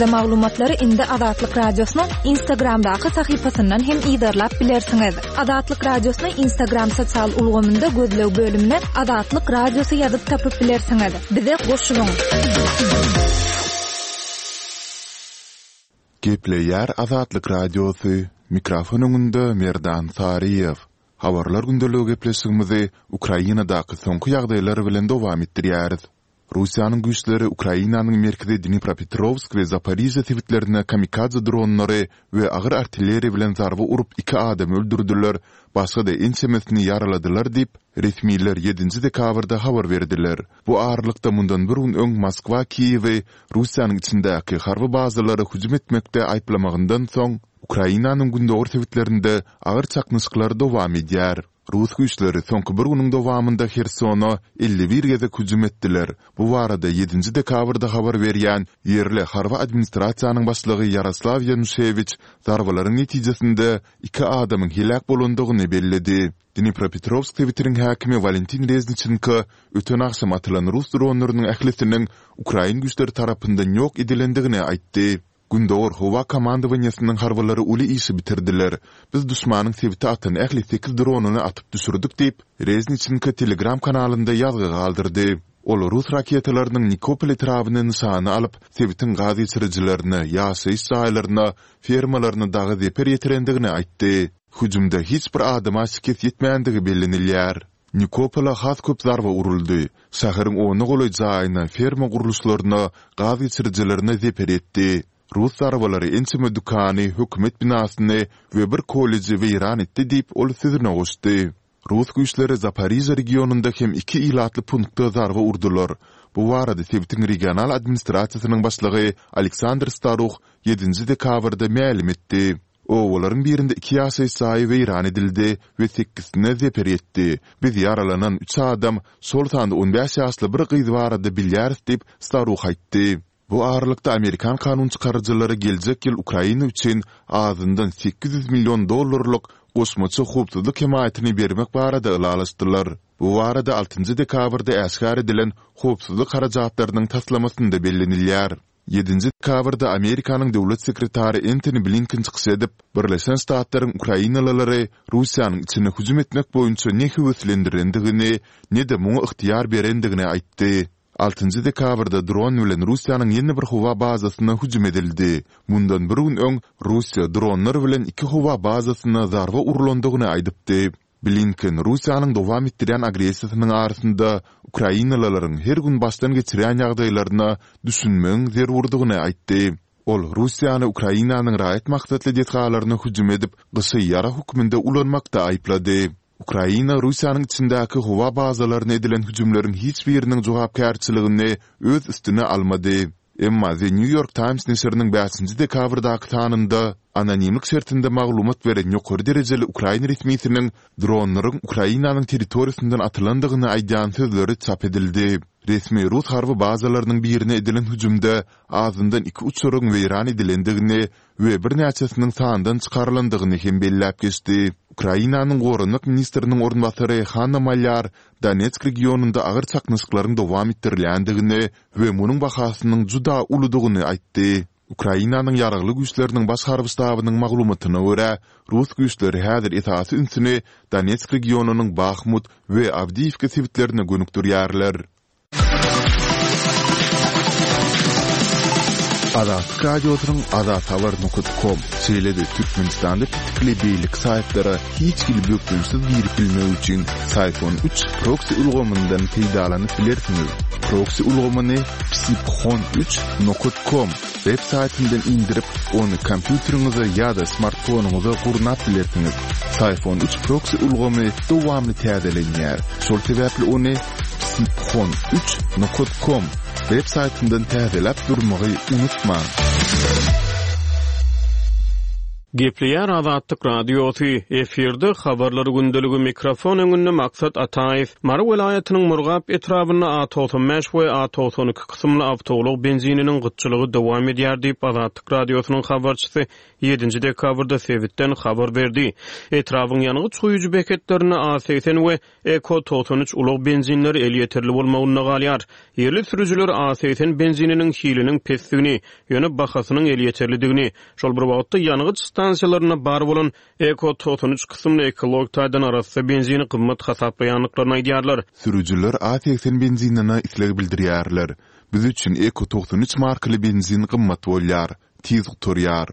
Maglumatlary indi Azatlyk Radiosynyň Instagramdaky sahypasyndan hem yzarlap bilersiňiz. Azatlyk Radiosyny Instagram sosial ulgamynda gözleg bölümine Azatlyk Radiosy ýazyp tapyp bilersiňiz. Bize goşulyň! Gepleýär Azatlyk Radiosy, mikrofon öňünde Merdan Saryýew. Habarlar gündeligi gepleşigimizi Ukrainadaky soňky ýagdaýlar bilen dowam etdirýäris. Russiýanyň güýçleri Ukrainanyň merkezi Dnipropetrowsk we Zaporižýa sebitlerine kamikadze dronlary we agyr artilleriýa bilen zarba urup iki adamy öldürdiler, başga-da ençemesini ýaraladylar diýip, resmiler ýedinji dekabrda habar berdiler. Bu aralykda mundan bir gün öň Moskwa Kiýewi Russiýanyň içindäki harby bazalara hüjüm etmekde aýyplamagyndan soň, Ukrainanyň gündogar sebitlerinde agyr çaknyşyklar dowam edýär. Rus güýçleri soňky bir günüň dowamynda Hersona 51 gezek hüjüm etdiler. Bu barada ýedinji dekabrda habar berýän ýerli harby administrasiýanyň başlygy Ýaroslaw Ýanuşewiç zarbalaryň netijesinde iki adamyň heläk bolandygyny belledi. Dnipropetrowsk sebitiniň häkimi Walentin Rezniçenko öten agşam atylan rus dronlarynyň ählisiniň ukrain güýçleri tarapyndan ýok edilendigini aýtdy. Gündogar howa komandowaniýesiniň harbylary uly işi bitirdiler. Biz duşmanyň sebite atan ähli sekiz dronyny atyp düşürdik diýip, Rezniçenko Telegram kanalynda ýazgy galdyrdy. Ol rus raketalarynyň Nikopol etrabyny nyşana alyp, sebitiň gaz geçirijilerine, ýaşaýyş jaýlaryna, fermalaryna dagy zeper ýetirendigini aýtdy. Hüjümde hiç bir adama şikes ýetmändigi bellenilýär. Nikopola has köp zarba uruldy. Şäheriň ona golaý jaýyna, ferma gurluşlaryna, gaz geçirijilerine zeper ýetdi. Rus zarbalary ençeme dükany, hökümet binasyny we bir kolleji weýran etdi diýip, ol sözüne goşdy. Rus güýçleri Zaporižýa regionynda hem iki ilatly punkta zarba urdular. Bu barada sebitiň regional administrasiýasynyň başlygy Aleksandr Staruh ýedinji dekabrda mälim etdi. Obalaryň birinde iki ýaşaýyş jaýy weýran edildi we sekizsine zeper ýetdi. Biz ýaralanan üç adam, şol sanda 15 ýaşly bir gyz barada bilýäris diýip, Staruh aýtdy. Bu aralykda, amerikan kanunçykaryjylary geljek ýyl Ukraina üçin azyndan 800 million dollarlyk goşmaça howpsuzlyk hemaýatyny bermek barada ylalaşdylar. Bu barada altynjy dekabrda äşgär edilen howpsuzlyk harajatlarynyň taslamasynda bellenilýär. Ýedinji dekabrda Amerikanyň döwlet sekretary Entoni Blinken çykyş edip, Birleşen Ştatlaryň ukrainalylary Russiýanyň içine hüjüm etmek boýunça ne höweslendirendigini, ne-de muňa ygtyýar berendigini aýtdy. Altynjy dekabrda dron bilen Russiýanyň ýene bir howa bazasyna hüjüm edildi. Mundan bir gün öň Russiýa dronlar bilen iki howa bazasyna zarba urlandygyny aýdypdy. Blinken Russiýanyň dowam etdirýän agressiýasynyň arasynda ukrainalylaryň her gün başdan geçirýän ýagdaýlaryna düşünmegiň zerurdygyny aýtdy. Ol Russiýany Ukrainanyň raýat maksatly desgalaryna hüjüm edip, gyşy ýarag hökmünde ulanmakda aýyplady. Ukraina Russiýanyň içindäki howa bazalaryna edilen hüjümleriň hiç biriniň jogapkärçiligini öz üstüne almady. Emma The New York Times neşiriniň bäşinji dekabrdaky sanynda anonimlik şertinde maglumat beren ýokary derejeli ukrain resmisiniň dronlaryň Ukrainanyň territoriýasyndan atylandygyny aýdýan sözleri çap edildi. Resmi rus harby bazalarynyň birine edilen hüjümde azyndan iki uçaryň weýran edilendigini we birnäçesiniň sandan çykarylandygyny hem belläp geçdi. Ukrainanyň goranmak ministriniň orunbasary Hanna Malýar Donetsk regionynda agyr çaknyşyklaryň dowam etdirilýändigini we munuň bahasynyň juda uludygyny aýtdy. Ukrainanyň Ýaragly Güýçleriniň Baş harby ştabynyň maglumatyna görä, rus güýçleri häzir esasy ünsüni Donetsk regionynyň Bahmut we Awdiýiwka sebitlerine gönükdirýärler. Azatlyk Radiosynyň azathabar nokat kom, şeýle-de Türkmenistanda petikli beýleki saýtlara hiç hili bökdençsiz girip bilmek üçin Syfon üç proksi ulgamyndan peýdalanyp bilersiňiz. Proksi ulgamyny psiphon üç nokat kom web saýtyndan indirip, ony kompýuteriňize ýa-da smartfonyňyza gurnap bilersiňiz. Syfon üç proksi ulgamy dowamly täzelenýär, şol sebäpli ony psiphon üç nokat kom web saýtyndan täzeläp durmagy unutmaň. Gepleýär Azatlyk Radiosy, efirde Habarlar gündeligi, mikrofon öňünde Maksat Ataýew. Mary welaýatynyň Murgap etrabynda A 95 we A 92 kysymly awtoulag benzininiň gytçylygy dowam edýär diýip, Azatlyk Radiosynyň habarçysy ýedinji dekabrda sebitden habar berdi. Etrabyň ýangyç guýujy beketlerinde A 80 we Eko 93 ulag benzinleri elýeterli bolmagynda galýar. Ýerli sürüjiler A 80 benzininiň hiliniň pesdigini, ýöne bahasynyň elýeterlidigini, şol bir wagtda ýangyç stansiýalarynda bar bolan Eko 93 kysymly ekologik taýdan arassa benzini gymmat hasaplaýandyklaryny aýdýarlar. Sürüjiler A 80 benzinine isleg bildirýärler. Biz üçin Eko 93 markaly benzin gymmat bolýar. tiz gutarýar.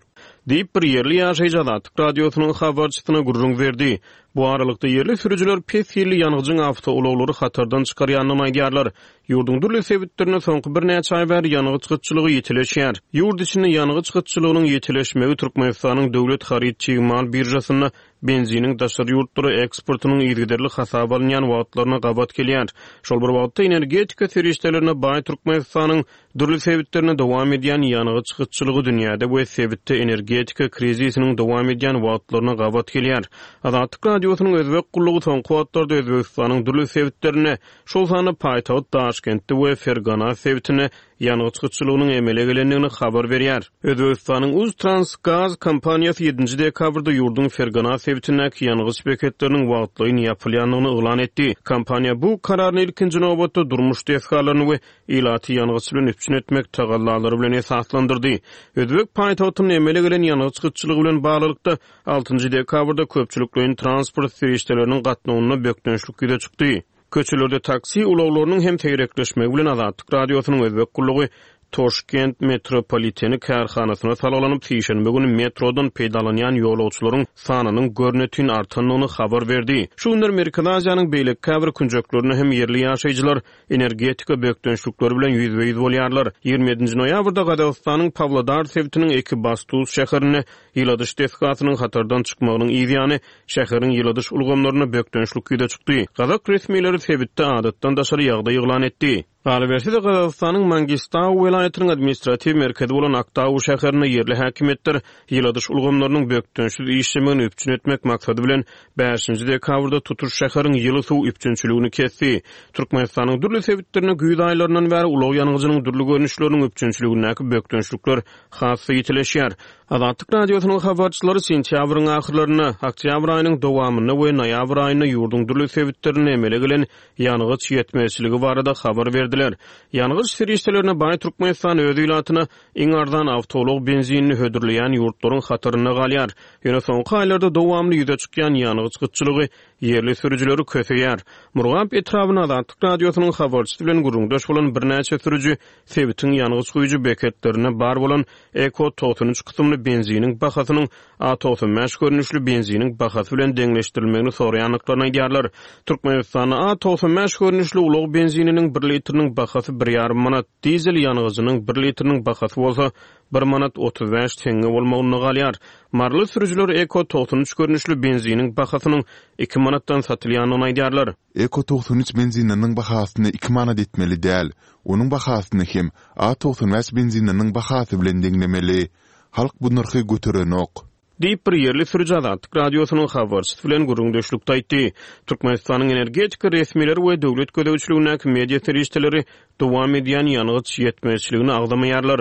Diýip, bir ýerli ýaşaýjy Azatlyk Radiosynyň habarçysyna gürrüň berdi. Bu aralykda, ýerli sürüjiler pes hilli ýangyjyň awtoulaglary hatardan çykarýandygyny aýdýarlar. Ýurduň dürli sebitlerinde soňky birnäçe aý bäri ýangyç gytçylygy ýitileşýär. Ýurt içinde ýangyç gytçylygynyň ýitileşmegi Türkmenistanyň döwlet haryt-çig mal biržasynda benziniň daşary ýurtlara eksportynyň yzygiderli hasaba alynýan wagtlaryna gabat gelýär. Şol bir wagtda, energetika serişdelerine baý Türkmenistanyň Dürli sebitlerinde dowam edýän ýangyç gytçylygy dünýäde we sebitde energetika krizisiniň dowam edýän wagtlaryna gabat gelýär. Azatlyk Radiosynyň Özbek gullugy soňky wagtlarda Özbegistanyň dürli sebitlerinde, şol sanda paýtagt Daşkentde we Fergana sebitinde ýangyç gytçylygynyň emele gelendigini habar berýär. Özbegistanyň Uztransgaz kompaniýasy ýedinji dekabrda ýurduň Fergana sebitindäki ýangyç beketleriniň wagtlaýyn ýapylýandygyny yglan etdi. Kompaniýa bu kararyny ilkinji nobatda durmuş desgalaryny we ilaty ýangyç bilen üpjün etmek tagallalary bilen esaslandyrdy. Özbek paýtagtynda emele gelen ýangyç gytçylygy bilen baglylykda, altynjy dekabrda köpçülikleýin transport serişdeleriniň gatnawynda bökdençlik ýüze çykdy. Köçelerde taksi ulaglarynyň hem seýrekleşmegi bilen Azatlyk Radiosynyň Özbek gullugy Toşkent metropoliteni kärhanasyna salgylanyp, sişenbe güni metrodan peýdalanýan ýolagçylaryň sanynyň görnetin artandygyny habar berdi. Şu günler Merkezi Aziýanyň beýleki käbir künjeklerinde hem ýerli ýaşaýjylar energetika bökdençlikleri bilen ýüzbe-ýüz bolýarlar. 27-nji noýabrda Gazagystanyň Pawlodar sebitiniň Ekibastuz şäherinde ýyladyş desgasynyň hatardan çykmagynyň yzýany şäheriň ýyladyş ulgamlarynda bökdençlik ýüze çykdy. Gazak resmileri sebitde adatdan daşary ýagdaý yglan etdi. Galyberse-de, Gazagystanyň Mangistau welaýatynyň administratiw merkezi bolan Aktau şäherinde ýerli häkimiýetler ýyladyş ulgamlarynyň bökdençsiz işlemegini üpjün etmek maksady bilen, bäşinji dekabrda tutuş şäheriň ýyly suw üpjünçiligini kesdi. Türkmenistanyň dürli sebitlerinde güýz aýlaryndan bäri ulag ýangyjynyň dürli görnüşleriniň üpjünçiligindäki bökdençlikler has-da ýitileşýär. Azatlyk Radiosynyň habarçylary sentýabryň ahyrlarynda, oktýabr aýynyň dowamynda we noýabr aýynda ýurduň dürli sebitlerinde emele gelen ýangyç ýetmezçiligi barada habar berdiler. Ýangyç serişdelerine baý Türkmenistan öz ilatyna iň arzan awtoulag benzinini hödürleýän ýurtlaryň hatarynda galýar. Ýöne soňky aýlarda dowamly ýüze çykýan ýangyç gytçylygy ýerli sürüjileri köseýär. Murgap etrabynda Azatlyk Radiosynyň habarçysy bilen gürrüňdeş bolan birnäçe sürüji sebitiň ýangyç guýujy beketlerinde bar bolan Eko 93 kysymly benziniň bahasynyň A 95 görnüşli benziniň bahasy bilen deňleşdirilmegini soraýandyklaryny aýdýarlar. Türkmenistanda A 95 görnüşli ulag benzininiň bir litriniň bahasy bir ýarym manat, dizel ýangyjynyň bir litriniň bahasy bolsa bir manat 35 teňňe bolmagynda galýar. Maryly sürüjiler Eko 93 görnüşli benziniň bahasynyň iki manatdan satylýandygyny aýdýarlar. Eko 93 benzininiň bahasyny iki manat etmeli däl. Onuň bahasyny hem A 95 benzininiň bahasy bilen deňlemeli. Halk bu nyrhy göterenok. Diýip, bir ýerli sürüji Azatlyk Radiosynyň habarçysy bilen gürrüňdeşlikde aýtdy. Türkmenistanyň energetika resmileri we döwlet gözegçiligindäki media serişdeleri dowam edýän ýangyç ýetmezçiligini agzamaýarlar.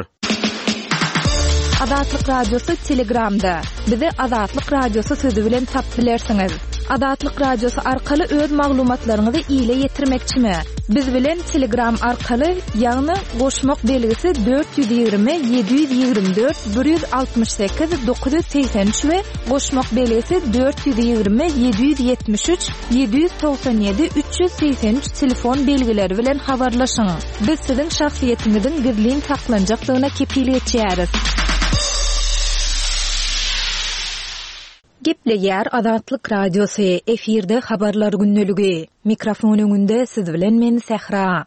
Azatlyk Radiosy Telegramda. Bizi Azatlyk Radiosy sözi bilen tapyp bilersiňiz. Azatlyk Radiosy arkaly öz maglumatlaryňyzy ile ýetirmekçimi? Biz bilen Telegram arkaly, ýagny goşmak belgisi 420 724 168 983 we goşmak belgisi 420 773 797 383 telefon belgileri bilen habarlaşyň. Biz siziň şahsyýetiňiziň gizlin saklanjakdygyna kepil geçýäris. Gepleýär Azatlyk Radiosy, efirde Habarlar gündeligi. Mikrofon öňünde siz bilen men Sähra.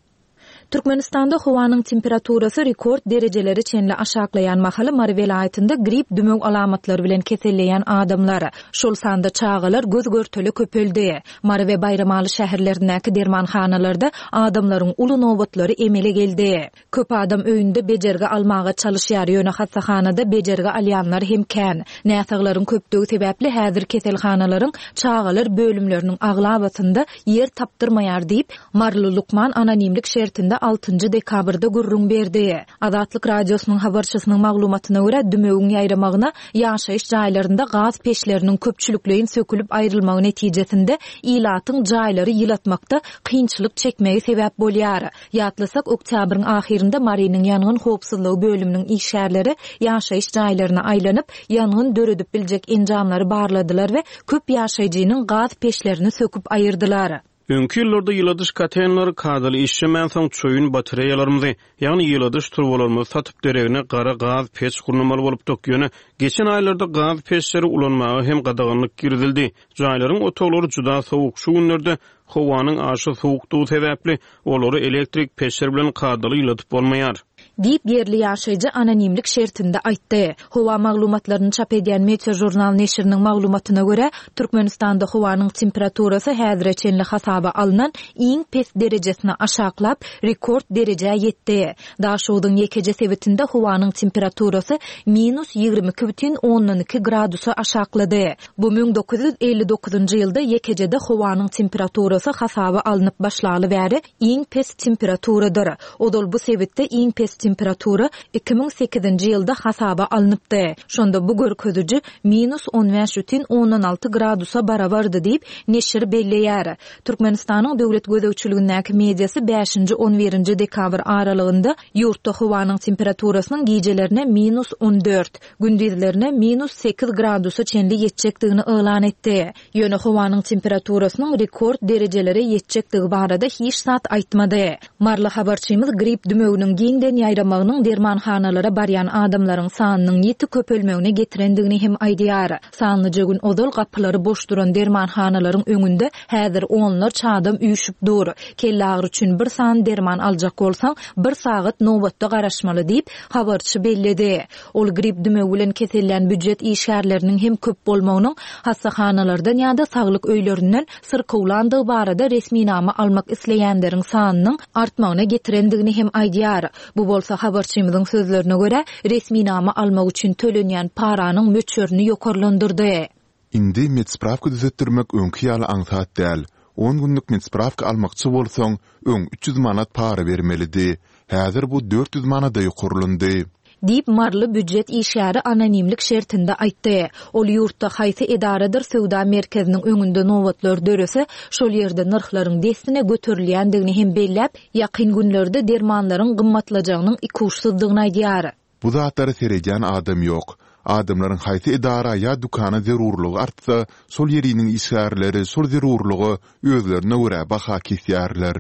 Türkmenistanda howanyň temperaturasy rekord derejelere çenli aşaklaýan mahaly Mary welaýatynda grip dümew alamatlary bilen keselleýän adamlar, şol sanda çagalar göz-görtele köpeldi. Mary we Baýramaly şäherlerindäki dermanhanalarda adamlaryň uly nobatlary emele geldi. Köp adam öýünde bejergi almaga çalyşýar, ýöne hassahanada bejergi alýanlar hem kän. Näsaglaryň köpdügi sebäpli häzir keselhanalaryň çagalar bölümleriniň aglabasynda ýer tapdyrmaýar diýip, maryly lukman anonimlik şertinde altynjy dekabrda gürrüň berdi. Azatlyk Radiosynyň habarçysynyň maglumatyna görä, dümewiň ýaýramagyna ýaşaýyş jaýlarynda gaz peçleriniň köpçülikleýin sökülip aýrylmagy netijesinde ilatyň jaýlary ýylatmakda kynçylyk çekmegi sebäp bolýar. Ýatlasak, oktýabryň ahyrynda Marynyň ýangyn howpsuzlygy bölüminiň işgärleri ýaşaýyş jaýlaryna aýlanyp, ýangyn döredip biljek enjamlary barladylar we köp ýaşaýjynyň gaz peçlerini söküp aýyrdylar. Öňki ýyllarda ýyladyş kotelnlary kadaly işlemänsoň, çoýun batareýalarymyzy, ýagny ýyladyş turbalarymyzy satyp, deregine gara gaz peç gurnamaly bolupdyk. Ýöne geçen aýlarda gaz peçleri ulanmaga hem gadaganlyk girizildi. Jaýlaryň otaglary juda sowuk. Şu günlerde Howanyň aşa sowukdygy sebäpli, olary elektrik peçler bilen kadaly ýyladyp bolmaýar. Diýip, ýerli ýaşaýjy anonimlik şertinde aýtdy. Howa maglumatlaryny çap edýän Meteožurnal neşiriniň maglumatyna görä, Türkmenistanda howanyň temperaturasy häzire çenli hasaba alnan iň pes derejesine aşaklap, rekord derejä ýetdi. Daşogzuň ýekeje sebitinde howanyň temperaturasy minus 22,2 gradusa aşaklady. Bu 1959-njy ýylda ýekejede howanyň temperaturasy hasaba alnyp başlaly bäri iň pes temperaturadyr. Ozal bu sebitde iň pes temperatura 2008-nji ýylda hasaba alnypdy. Şonda bu görkeziji minus on bäş bütin ondan alty gradusa barabardy diýip, neşir belleýär. Türkmenistanyň döwlet gözegçiligindäki mediasy bäşinji on birinji dekabr aralygynda ýurtda howanyň temperaturasynyň gijelerine minus on dört, gündizlerine minus sekiz gradusa çenli ýetjekdigini yglan etdi. Ýöne howanyň temperaturasynyň rekord derejelere ýetjekdigi barada hiç zat aýtmady. Maryly habarçymyz grip dümewiniň giňden ýaýramagynyň dermanhanalara barýan adamlaryň sanynyň ýiti köpelmegine getirendigini hem aýdýar. Sanlyja gün ozal gapylary boş duran dermanhanalaryň öňünde häzir onlarça adam üýşüp dur. Kelleagyry üçin bir sany derman aljak bolsaň, bir sagat nobatda garaşmaly diýip, habarçy belledi. Ol grip dümewi bilen kesellän býujet işgärleriniň hem köp bolmagynyň hassahanalardan ýa-da saglyk öýlerinden syrkawlandygy barada resminama almak isleýänleriň sanynyň artmagyna getirendigini hem aýdýar. Bu bolsa, habarçymyzyň sözlerine görä, resminama almak üçin tölenýän paranyň möçberini ýokarlandyrdy. Indi medsprawka düzetdirmek öňki ýaly aňsat däl. On günlük medsprawka almakçy bolsaň, öň 300 manat para bermelidi. Häzir bu 400 manada ýokarlandy. Diýip, maryly býujet işgäri anonimlik şertinde aýtdy. Ol ýurtda haýsy edaradyr söwda merkeziniň öňünde nobatlar dörese, şol ýerde nyrhlaryň dessine göterilýändigini hem belläp, ýakyn günlerde dermanlaryň gymmatlajagynyň ikuçsuzdygyny aýdýar. Bu zatlara seredýän adam ýok. Adamlaryň haýsy edara ýa dükana zerurlygy artsa, şol ýeriniň işgärleri şol zerurlyga özlerine görä baha kesýärler.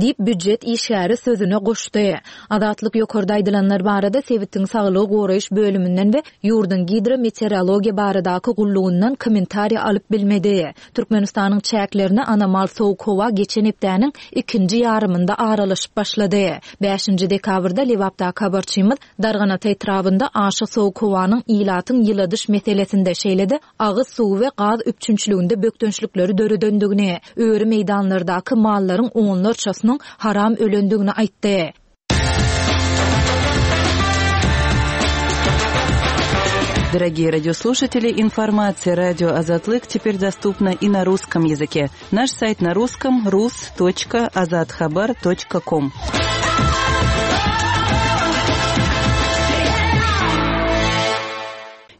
Diýip, býujet işgäri sözüne goşdy. Azatlyk ýokarda aýdylanlar barada sebitiň saglygy goraýyş bölüminden we ýurduň gidrometeorologiýa baradaky gullugyndan kommentariý alyp bilmedi. Türkmenistanyň çäklerine anomal sowuk howa geçen hepdäniň ikinji ýarymynda aralaşyp başlady. Bäşinji dekabrda Lebapdaky habarçymyz Darganata etrabynda aşa sowuk howanyň ilatyň ýyladyş meselesinde, şeýle-de agyz suwy we gaz üpjünçiliginde bökdençlikleri döredendigini, öri meýdanlardaky mallaryň onlarçasynyň haram ölendigini aýtdy. Дорогие радиослушатели, информация радио Азатлык теперь доступна и на русском языке. Наш сайт на русском rus.azathabar.com.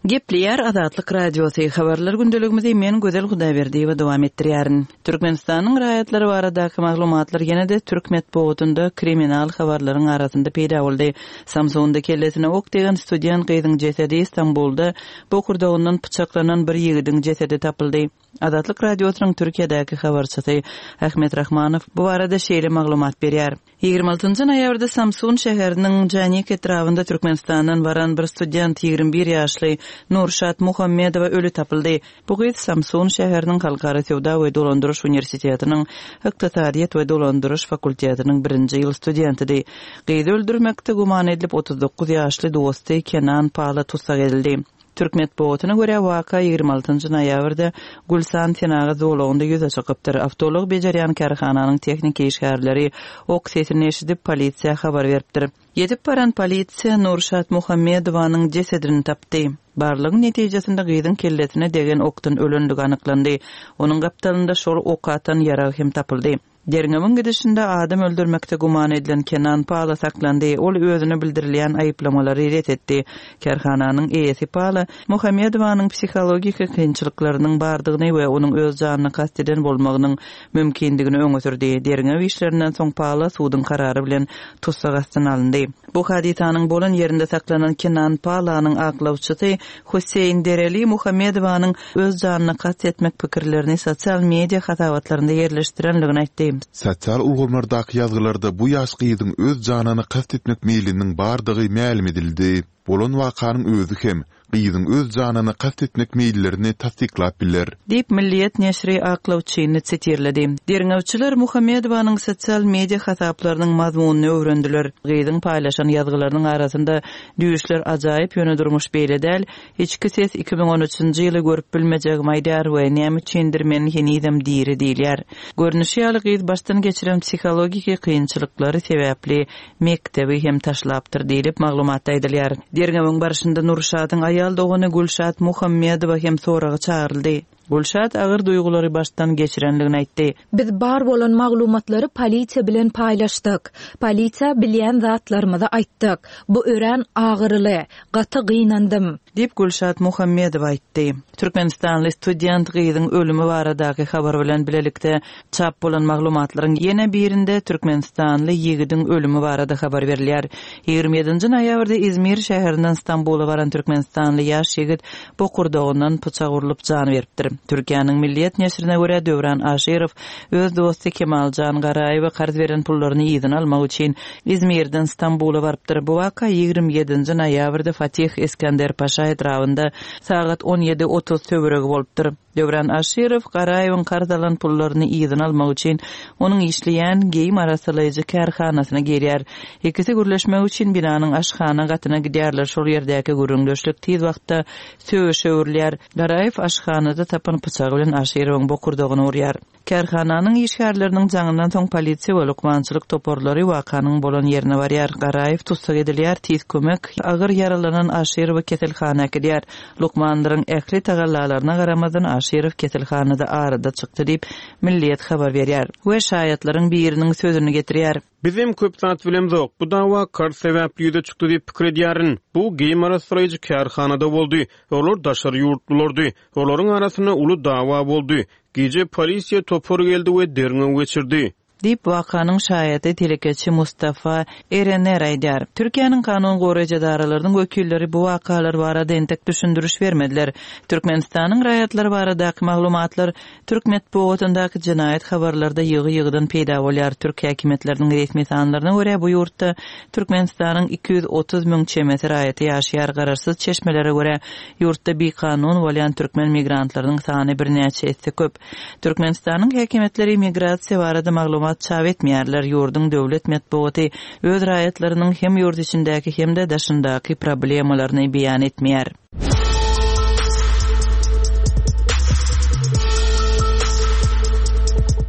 Gepleýär Azatlyk Radiosy, Habarlar gündeligimizi men Gözel Hudaýberdiýewa dowam etdirýärin. Türkmenistanyň raýatlary baradaky maglumatlar ýene-de türk metbugatynda kriminal habarlaryň arasynda peýda boldy. Samsunda kellesine ok degen student gyzyň jesedi, Stambulda bokurdagyndan pyçaklanan bir ýigidiň jesedi tapyldy. Azatlyk Radiosynyň Türkiýedäki habarçysy Ahmet Rahmanow bu barada şeýle maglumat berýär. Ýigrimi altynjy noýabrda Samsun şäheriniň Janik etrabynda Türkmenistandan baran bir student, 21 ýaşly Nurşat Muhammedowa öli tapyldy. Bu gyz Samsun şäheriniň Halkara söwda we dolandyryş uniwersitetiniň Ykdysadyýet we dolandyryş fakultetiniň birinji ýyl studentidi. Gyzy öldürmekde güman edilip, 39 ýaşly dosty Kenan Pala tussag edildi. Türk metbugatyna görä, waka 26 noýabrda Gülsan senagat zolagynda ýüze çykypdyr. Awtoulag bejerýän kärhananyň tehniki işgärleri ok sesini eşidip, polisiýa habar beripdir. Ýetip baran polisiýa Nurşat Muhammedowanyň jesedini tapdy. Barlagyň netijesinde gyzyň kellesine degen okdan ölendigi anyklandy. Onuň gapdalynda şol ok atan ýarag hem tapyldy. Derňewiň gidişinde adam öldürmekde güman edilen Kenan Pala saklandy, ol özüne bildirilýän aýyplamalary ret etdi. Kärhananyň eýesi Pala, Muhammedowanyň psihologik kynçylyklarynyň bardygyny we onuň öz janyna kast eden bolmagynyň mümkindigini öňe sürdi. Derňew işlerinden soň Pala suduň karary bilen tussag astyna alyndy. Bu hadysanyň bolan ýerinde saklanan Kenan Palanyň aklawçysy Husseýn Dereli Muhammedowanyň öz janyna kast etmek pikirlerini sosial media hasabatlarynda ýerleşdirendigini aýtdy. Sosial ulgamlardaky ýazgylarda bu ýaş gyzyň öz janyna kast etmek meýliniň bardygy mälim edildi. Bolan wakanyň özi hem gyzyň öz janyna kast etmek meýillerini tassyklap biler. Diýip, Milliýet neşiri aklawçyny sitirledi. Derňewçiler Muhammedowanyň sosial media hasaplarynyň mazmunyny öwrendiler. Gyzyň paýlaşan ýazgylarynyň arasynda Düýşler ajaýyp, ýöne durmuş beýle däl, Içki ses 2013-nji ýyly görüp bilmejegimi aýdýar we näme üçindir men henizem diri diýilýär. Görnüşi ýaly gyz başdan geçiren psihologiki kynçylyklary sebäpli mekdebi hem taşlapdyr diýlip, maglumatda aýdylýar. Derňewiň barşynda Nurşadyň aýal dogany Gülşat Muhammedowa hem soraga çagyryldy. Gülşat agyr duýgulary başdan geçirendigini aýtdy. Biz bar bolan maglumatlary polisiýa bilen paýlaşdyk. Polisiýa bilýän zatlarymyzy aýtdyk. Bu örän agyryly. Gaty gynandym. Diýip, Gülşat Muhammedowa aýtdy. Türkmenistanly student gyzyň ölümi baradaky habar bilen bilelikde çap bolan maglumatlaryň ýene birinde türkmenistanly ýigidiň ölümi barada habar berilýär. 27-nji noýabrda Izmir şäherinden Stambula baran türkmenistanly ýaş ýigit bokurdagyndan pyçak urlup jan beripdir. Türkiýäniň Milliýet neşirine görä, Döwran Aşyrow öz dosty Kemaljan Garaýewe karz beren pullaryny yzyna almak üçin Izmirden Stambula barypdyr. Bu waka 27-nji noýabrda Fatih Iskenderpaşa etrabynda sagat 17:30 töweregi bolupdyr. Döwran Aşyrow Garaýewiň karz alan pullaryny yzyna almak üçin onuň işleýän geýim arassalaýjy kärhanasyna girýär. Ikisi gürleşmek üçin binanyň aşhana gatyna gidýärler, şol ýerdäki gürrüňdeşlik tiz wagtda söweşe öwrülýär. Garaýew aşhanada tapan pyçagy bilen Aşyrowyň bokurdagyna urýar. Kärhananyň işgärleriniň jaňyndan soň polisiýa we lukmançylyk toparlary wakanyň bolan ýerine barýar. Garaýew tussag edilýär, tiz kömek agyr ýaralanan Aşyrowy keselhana äkidýär. Lukmanlaryň ähli tagallalaryna garamazdan Aşyrow keselhanada arada çykdy diýip, Milliýet habar berýär we şaýatlaryň biriniň sözüni getirýär. Bizem köp zat bilemzok. Bu dawa karz sebäpli ýüze çykdy diýip pikir edýärin. Bu geýim arassalaýjy kärhanada boldy. Olar daşary ýurtlulardy. Olaryň arasynda uly dawa boldy. Gije polisiýa topary geldi we derňew geçirdi. Diýip, wakanyň şaýady telekeçi Mustafa Erener aýdýar. Türkiýäniň kanun goraýjy edaralarynyň wekilleri bu wakalar barada entek düşündiriş bermediler. Türkmenistanyň raýatlary baradaky maglumatlar türk metbugatyndaky jenaýat habarlarda ýygy-ýygydan peýda bolýar. Türk häkimiýetleriniň resmi sanlaryna görä, bu ýurtda Türkmenistanyň 230 müň çemesi raýaty ýaşaýar. Garaşsyz çeşmelere görä, Ýurtda bikanun bolýan türkmen migrantlarynyň sany birnäçe esse köp. Türkmenistanyň häkimiýetleri migrasiýa barada maglumat çap etmeýärler, ýurduň döwlet metbugaty öz raýatlarynyň hem ýurt içindäki hem-de daşyndaky problemalaryny beýan etmeýär.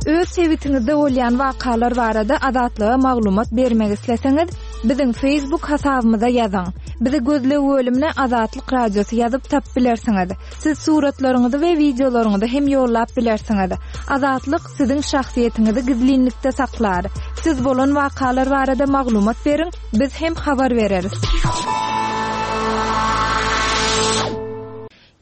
Öz sebitiňizde bolýan wakalar barada Azatlyga maglumat bermek isleseňiz, Biziň Facebook hasabymyza ýazyň. Bizi gözleg bölümine Azatlyk Radiosy ýazyp tapyp bilersiňiz. Siz suratlaryňyzy we wideolaryňyzy hem ýollap bilersiňiz. Azatlyk siziň şahsyýetiňizi gizlinlikde saklar. Siz bolan wakalar barada maglumat beriň, biz hem habar bereris.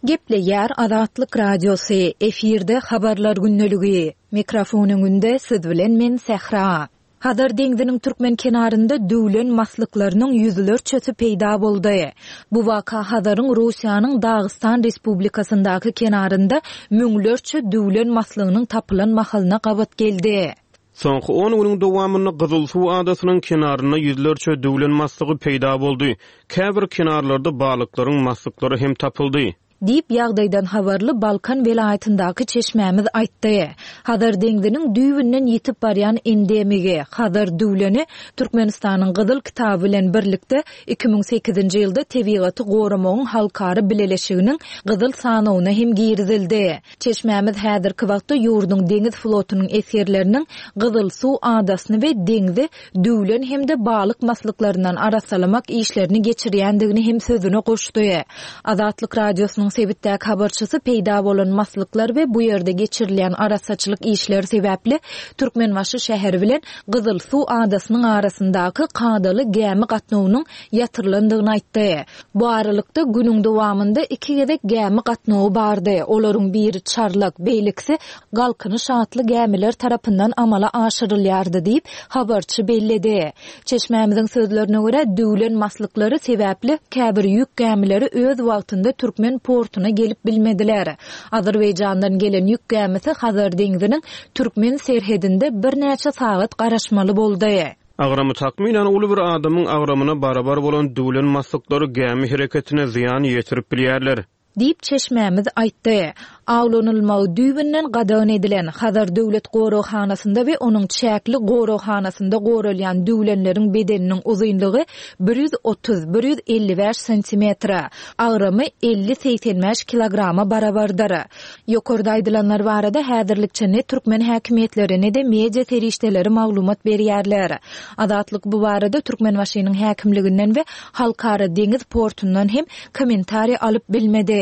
Gepleýär Azatlyk Radiosy, efirde Habarlar gündeligi. Mikrofon öňünde siz bilen men Sähra. Hazar deňziniň türkmen kenarynda düwlen maslyklarynyň ýüzlerçesi peýda boldy. Bu waka Hazaryň Russiýanyň Dagystan Respublikasyndaky kenarynda müňlerçe düwlen maslygynyň tapylan mahalyna gabat geldi. Soňky on günüň dowamynda Gyzylsuw adasynyň kenarynda ýüzlerçe düwlen maslygy peýda boldy. Käbir kenarlarda balyklaryň maslyklary hem tapyldy. Diýip, ýagdaýdan habarly Balkan welaýatyndaky çeşmämiz aýtdy. Hazar deňziniň düýbünden ýitip barýan endemigi, Hazar düwleni Türkmenistanyň Gyzyl kitaby bilen birlikde 2008-nji ýylda Tebigaty goramagyň halkara bileleşiginiň Gyzyl sanawyna hem girizildi. Çeşmämiz häzirki wagtda ýurduň deňiz flotunyň esgerleriniň Gyzylsuw adasyny we deňzi düwlen hem-de balyk maslyklaryndan arassalamak işlerini geçirýändigini hem sözüne goşdy. Azatlyk Radiosynyň sebitdäki habarçysy peýda bolan maslyklar we bu ýerde geçirilýän arassaçylyk işleri sebäpli Türkmenbaşy şäheri bilen Gyzylsuw adasynyň arasyndaky kadaly gämi gatnawynyň ýatyrylandygyny aýtdy. Bu aralykda, günüň dowamynda iki gezek gämi gatnawy bardy, olaryň biri Çarlak, beýlekisi Galkynyş atly gämiler tarapyndan amala aşyrylýardy diýip, habarçy belledi. Çeşmämiziň sözlerine görä, düwlen maslyklary sebäpli käbir ýük gämileri öz wagtynda türkmen portuna gelip bilmediler. Azerbaýjandan gelen ýük gämisi Hazar deňziniň türkmen serhedinde birnäçe sagat garaşmaly boldy. Agramy takmynan uly bir adamyň agramyna barabar bolan düwlen maslyklary gämi hereketine zyýan ýetirip bilýärler. Diýip, çeşmämiz aýtdy. Awlanylmagy düýbünden gadagan edilen, Hazar döwlet goraghanasynda we onuň çäkli goraghanasynda goralýan düwlenleriň bedeniniň uzynlygy 130, 155 santimetre, agramy 50, 85 kilograma barabardyr. Ýokarda aýdylanlar barada häzirlikçe ne türkmen häkimiýetleri, ne-de media serişdeleri maglumat berýärler. Azatlyk bu barada Türkmenbaşynyň häkimliginden we Halkara deňiz portundan hem kommentariý alyp bilmedi.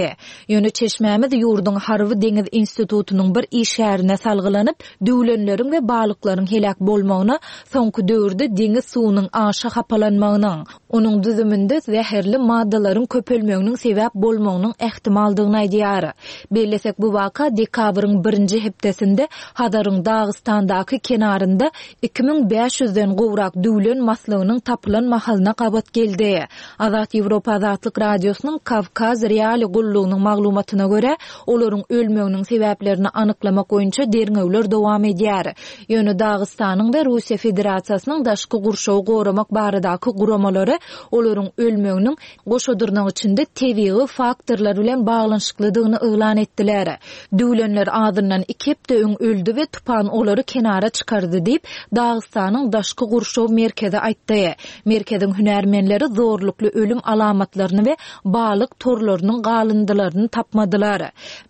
Ýöne çeşmämiz ýurduň Harby-deňiz institutynyň bir işgärine salgylanyp, düwlenleriň we balyklaryň heläk bolmagyna soňky döwürde deňiz suwunyň aşa hapalanmagynyň, Onuň düzüminde zäherli maddalaryň köpelmeginiň sebäp bolmagynyň ähtimaldygyny aýdýar. Bellesek, bu waka dekabryň birinji hepdesinde Hazaryň Dagystandaky kenarynda 2500 den gowrak düwlen maslygynyň tapylan mahalyna gabat geldi. Azat Ýewropa Azatlyk Radiosynyň Kawkaz Reali gullugynyň maglumatyna görä, olaryň ölmeginiň sebäplerini anyklamak boýunça derňewler dowam edýär. Ýöne Dagystanyň we Russiýa Federasiýasynyň daşky gurşawy goramak baradaky guramalary olaryň ölmeginiň goşa dyrnak içinde tebigy faktorlar bilen baglanyşyklydygyny yglan etdiler. Düwlenler azyndan iki hepde öň öldi we tupan olary kenara çykardy diýip, Dagystanyň daşky gurşaw merkezi aýtdy. Merkeziň hünärmenleri zorlukly ölüm alamatlaryny we balyk torlarynyň galyndylaryny tapmadylar.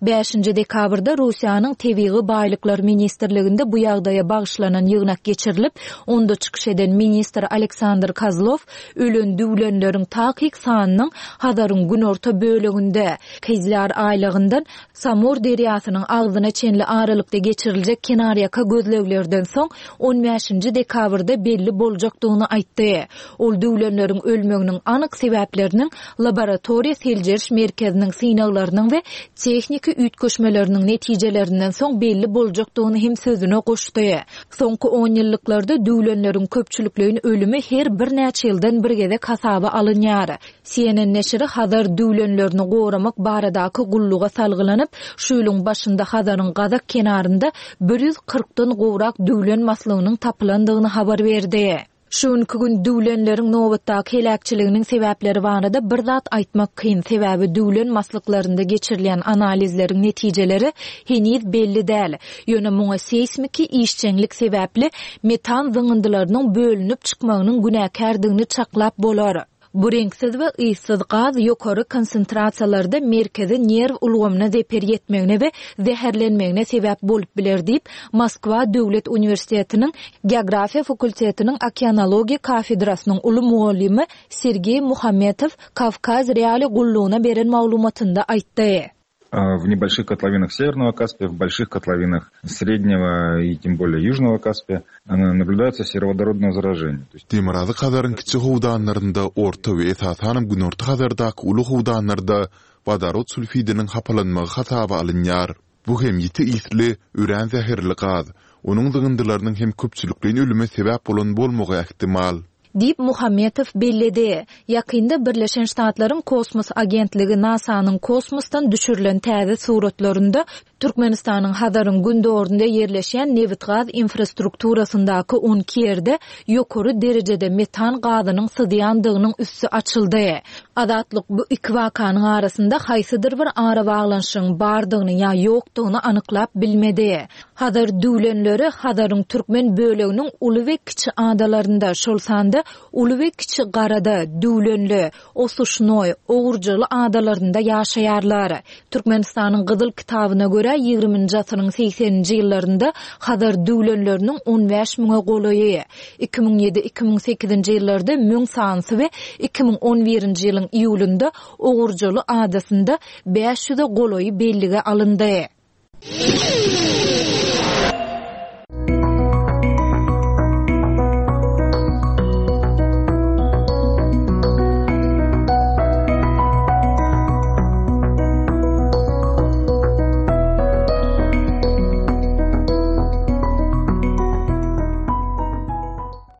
Bäşinji dekabrda Russiýanyň Tebigy baýlyklar ministrliginde bu ýagdaýa bagyşlanan ýygnak geçirilip, onda çykyş eden ministr Aleksandr Kozlow ölen düwlenleriň takyk sanynyň Hazaryň günorta böleginde, Kizlýar aýlagyndan Samur derýasynyň agzyna çenli aralykda geçiriljek kenarýaka gözleglerden soň on bäşinji dekabrda belli boljakdygyny aýtdy. Ol düwlenleriň ölmeginiň anyk sebäpleriniň laboratoriýa seljeriş merkeziniň synaglarynyň we tehniki üýtgeşmeleriniň netijelerinden soň belli boljakdygyny hem sözüne goşdy. Soňky onýyllyklarda düwlenleriň köpçülikleýin ölümi her birnäçe ýyldan bir gezek hasaba alynýar. CNN neşiri Hazar düwlenlerini goramak baradaky gulluga salgylanyp, şu ýylyň başynda Hazaryň gazak kenarynda 140 dan gowrak düwlen maslygynyň tapylandygyny habar berdi. Şu günki gün düwlenleriň nobatdaky heläkçiliginiň sebäpleri barada bir zat aýtmak kyn, sebäbi düwlen maslyklarynda geçirilýän analizleriň netijeleri heniz belli däl. Ýöne muňa seýsmiki işjeňlik sebäpli metan zyňyndylarynyň bölünip çykmagynyň günäkärdigini çaklap bolar. Bu reňksiz we yssyz gaz ýokary konsentrasiýalarda merkezi nerw ulgamyna zeper ýetmegine we zäherlenmegine sebäp bolup biler diýip, Moskwa döwlet uniwersitetiniň Geografiýa fakultetiniň okeanologiýa kafedrasynyň uly mugallymy Sergeý Muhametow Kawkaz Reali gullugyna beren maglumatynda aýtdy. W небольших котловинах Северного Каспия, в больших котловинах Среднего и тем более Южного Каспия наблюдается сероводородное заражение. Demirgazyk Hazaryň kiçi howdanlarynda, Orta we esasanam Günorta Hazardaky uly howdanlarda wodorod sulfidiniň hapalanmagy hasaba alynýar. Bu hem ýiti ysly, örän zäherli gaz. Onuň zyňyndylarynyň hem köpçülikleýin ölüme sebäp bolan bolmagy ähtimal. Diýip, Muhammetow belledi. Ýakynda Birleşen Ştatlaryň kosmos agentligi NASA-nyň kosmosdan düşürilen täze suratlarynda. Türkmenistanyň Hazaryň gündogarynda ýerleşýän nebitgaz infrastrukturasyndaky 12 ýerde ýokary derejede metan gazynyň syzýandygynyň üsti açyldy. Azatlyk bu iki wakanyň arasynda haýsydyr bir arabaglanyşygyň bardygyny ýa ýokdugyny anyklap bilmedi. Hazar düwlenleri Hazaryň türkmen böleginiň uly we kiçi adalarynda, şol sanda Uly we Kiçi Garada, Düwlenli, Osuşnoý, Ogurjaly adalarynda ýaşaýarlar. Türkmenistanyň Gyzyl kitabyna görä, ýigriminji asyryň segseninji ýyllarynda Hazar düwlenleriniň on bäş müňe golaýy, 2007, 2008-nji ýyllarda müň sanysy we 2011-nji ýylyň iýulynda Ogurjaly adasynda bäş ýüze golaýy bellige alyndy.